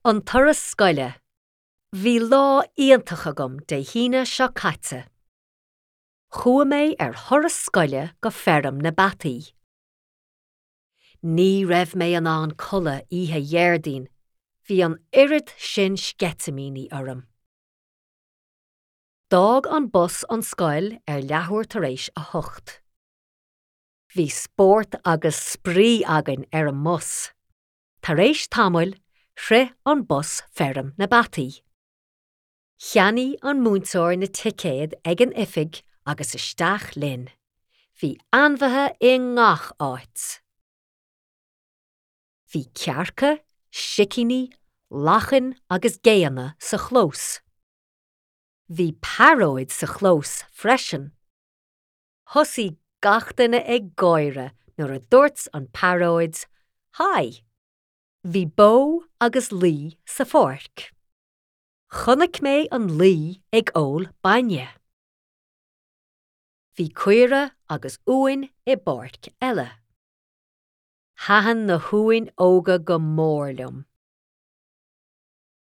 An turas scoile. Bhí lá iontach agam Dé hAoine seo caite. Chuaigh mé ar thuras scoile go feirm na bpeataí. Ní raibh mé in ann codladh oíche Dhéardaoin, bhí an oiread sin sceitimíní orm. D'fhág an bus an scoil ar leathuair tar éis a hocht. Bhí spórt agus spraoi againn ar an mbus. Tar éis tamaill, shroich an bus feirm na bpeataí. Cheannaigh an múinteoir na ticéid ag an oifig agus isteach linn. Bhí ainmhithe i ngach áit. Bhí cearca, sicíní, lachain agus géanna sa chlós. Bhí pearóid sa chlós freisin. Thosaigh gach duine ag gáire nuair a dúirt an pearóid 'Hi! Bhí bó agus lao sa pháirc. Chonaic mé an lao ag ól bainne. Bhí caora agus uain i bpáirc eile. Thaitin na huain óga go mór liom.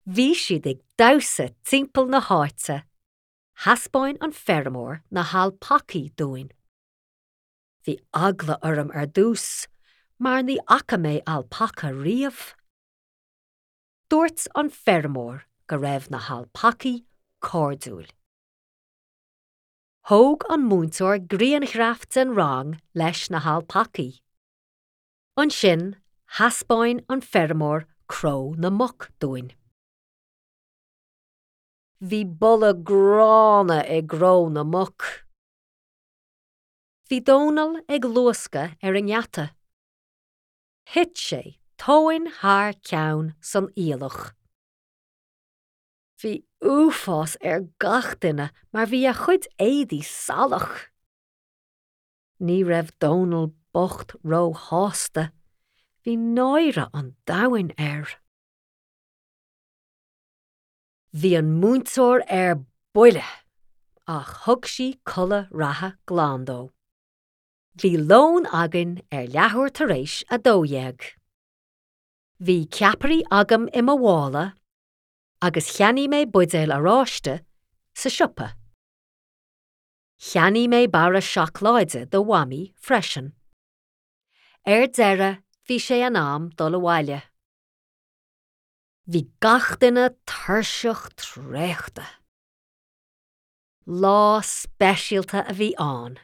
Bhí siad ag damhsa timpeall na háite. Thaispeáin an feirmeoir na halpacaí dúinn. Bhí eagla orm ar dtús mar ní fhaca mé alpaca riamh. Dúirt an feirmeoir go raibh na halpacaí cairdiúil. Thóg an múinteoir grianghraf den rang leis na halpacaí. Ansin thaispeáin an feirmeoir cró na muc dúinn. Bhí boladh gránna i gcró na muc. Bhí Dónal ag luascadh ar an ngeata. Thit sé tóin thar ceann san aoileach. Bhí uafás ar gach duine mar bhí a chuid éadaí salach. Ní raibh Dónal bocht róshásta, bhí náire an domhain air. Bhí an múinteoir ar buile ach thug sí culaith reatha glan dó. Bhí lón againn ar leathuair tar éis 12. Bhí ceapairí agam i mo mhála agus cheannaigh mé buidéal oráiste sa siopa. Cheannaigh mé barra seacláide do Mhamaí freisin. Ar deireadh bhí sé in am dul abhaile. Bhí gach duine tuirseach traochta. Lá speisialta a bhí ann.